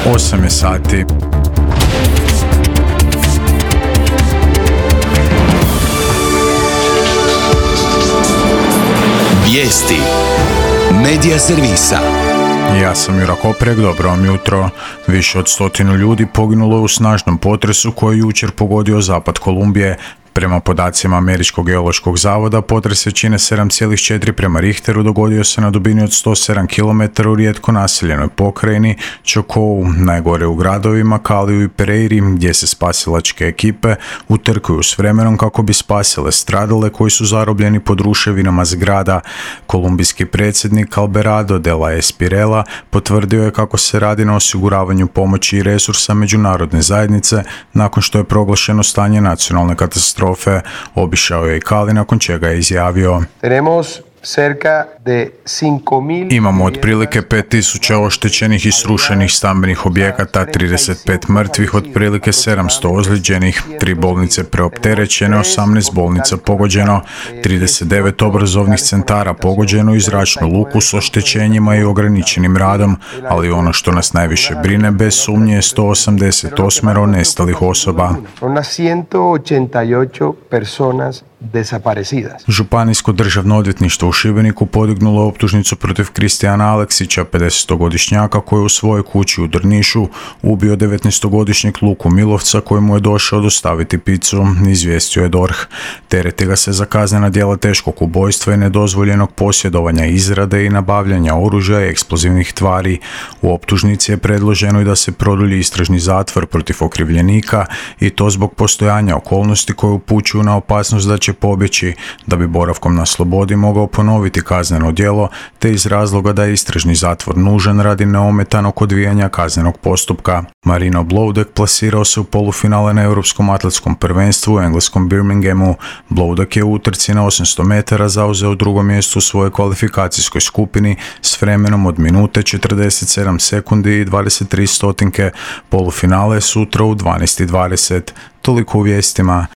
8 je sati. Vijesti Medija servisa. Ja sam Jura Koprek, dobro vam jutro. Više od 100 ljudi poginulo je u snažnom potresu koji je jučer pogodio zapad Kolumbije. Prema podacima Američkog geološkog zavoda, potres većine 7,4 prema Richteru dogodio se na dubini od 107 km u rijetko naseljenoj pokrajini Chocó, najgore u gradovima Caliju i Pereiri, gdje se spasilačke ekipe utrkuju s vremenom kako bi spasile stradale koji su zarobljeni pod ruševinama zgrada. Kolumbijski predsjednik Alberardo de la Espirela potvrdio je kako se radi na osiguravanju pomoći i resursa međunarodne zajednice nakon što je proglašeno stanje nacionalne katastrofe. Obišao je i Cali, nakon čega je izjavio: imamo otprilike 5000 oštećenih i srušenih stambenih objekata, 35 mrtvih, otprilike 700 ozlijeđenih, 3 bolnice preopterećene, 18 bolnica pogođeno, 39 obrazovnih centara pogođeno i zračnu luku s oštećenjima i ograničenim radom, ali ono što nas najviše brine bez sumnje je 188 nestalih osoba. Županijsko državno odvjetništvo u Šibeniku podignulo optužnicu protiv Kristijana Aleksića, 50-godišnjaka koji je u svojoj kući u Drnišu ubio 19-godišnjeg Luku Milovca koji mu je došao dostaviti picu, izvijestio je DORH. Tereti ga se za kaznena djela teškog ubojstva i nedozvoljenog posjedovanja, izrade i nabavljanja oružja i eksplozivnih tvari. U optužnici je predloženo i da se produlji istražni zatvor protiv okrivljenika i to zbog postojanja okolnosti koje upućuju na opasnost da će pobjeći, da bi boravkom na slobodi mogao ponoviti kazneno djelo, te iz razloga da je istražni zatvor nužan radi neometanog odvijanja kaznenog postupka. Marino Bloudek plasirao se u polufinale na Europskom atletskom prvenstvu u engleskom Birminghamu. Bloudek je u utrci na 800 metara zauzeo drugo mjesto u svojoj kvalifikacijskoj skupini s vremenom od minute 47 sekundi i 23 stotinke. Polufinale je sutra u 12:20. Toliko u vijestima.